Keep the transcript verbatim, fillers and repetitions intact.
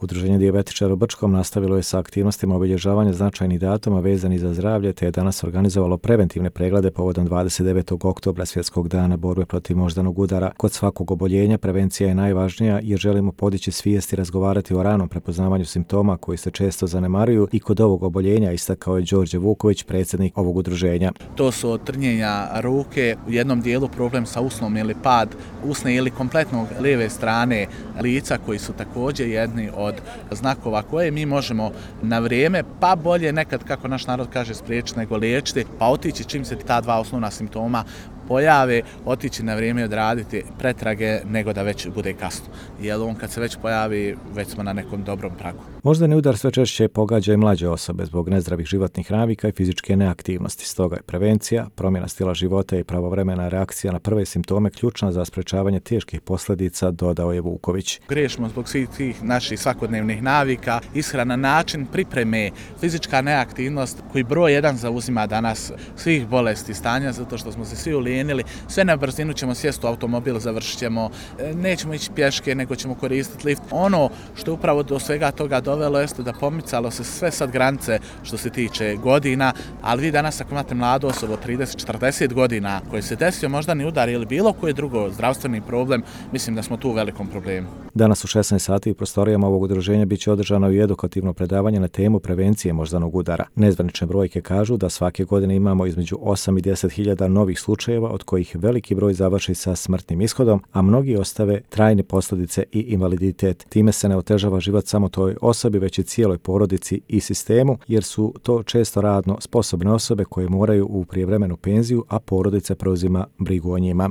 Udruženje dijabetičara u Brčkom nastavilo je sa aktivnostima obilježavanja značajnih datuma vezanih za zdravlje, te je danas organizovalo preventivne preglede povodom dvadeset devetog oktobra, Svjetskog dana borbe protiv moždanog udara. Kod svakog oboljenja prevencija je najvažnija jer želimo podići svijest i razgovarati o ranom prepoznavanju simptoma koji se često zanemaruju i kod ovog oboljenja, istakao je Đorđe Vuković, predsjednik ovog udruženja. To su trnjenja ruke, u jednom dijelu problem sa usnom ili pad usne ili kompletnog lijeve strane lica, koji su također jedni od znakova koje mi možemo na vrijeme, pa bolje nekad, kako naš narod kaže, spriječiti nego liječiti, pa otići čim se ta dva osnovna simptoma pojave, otići na vrijeme odraditi pretrage nego da već bude kasno. Jer on kad se već pojavi, već smo na nekom dobrom pragu. Moždani udar sve češće pogađa i mlađe osobe zbog nezdravih životnih navika i fizičke neaktivnosti. Stoga je prevencija, promjena stila života i pravovremena reakcija na prve simptome ključna za sprečavanje teških posljedica, dodao je Vuković. Grešimo zbog svih tih naših svakodnevnih navika, ishrana, način pripreme, fizička neaktivnost koji broj jedan zauzima danas svih bolesti stanja, zato što smo se svi ulijenili, sve na brzinu ćemo sjesti u automobil, završit ćemo, nećemo ići pješke, nego ćemo koristiti lift. Ono što upravo do svega toga dovelo jeste da pomicalo se sve sad granice što se tiče godina, ali vi danas ako imate mladu osobu od trideset do četrdeset godina koji se desio moždani udar ili bilo koji drugo zdravstveni problem, mislim da smo tu u velikom problemu. Danas u šesnaest sati u prostorijama ovog udruženja bit će održano i edukativno predavanje na temu prevencije moždanog udara. Nezvanične brojke kažu da svake godine imamo između osam i deset hiljada novih slučajeva, od kojih veliki broj završi sa smrtnim ishodom, a mnogi ostave trajne posljedice i invaliditet. Time se ne otežava život samo toj osobi, već i cijeloj porodici i sistemu, jer su to često radno sposobne osobe koje moraju u prijevremenu penziju, a porodica preuzima brigu o njima.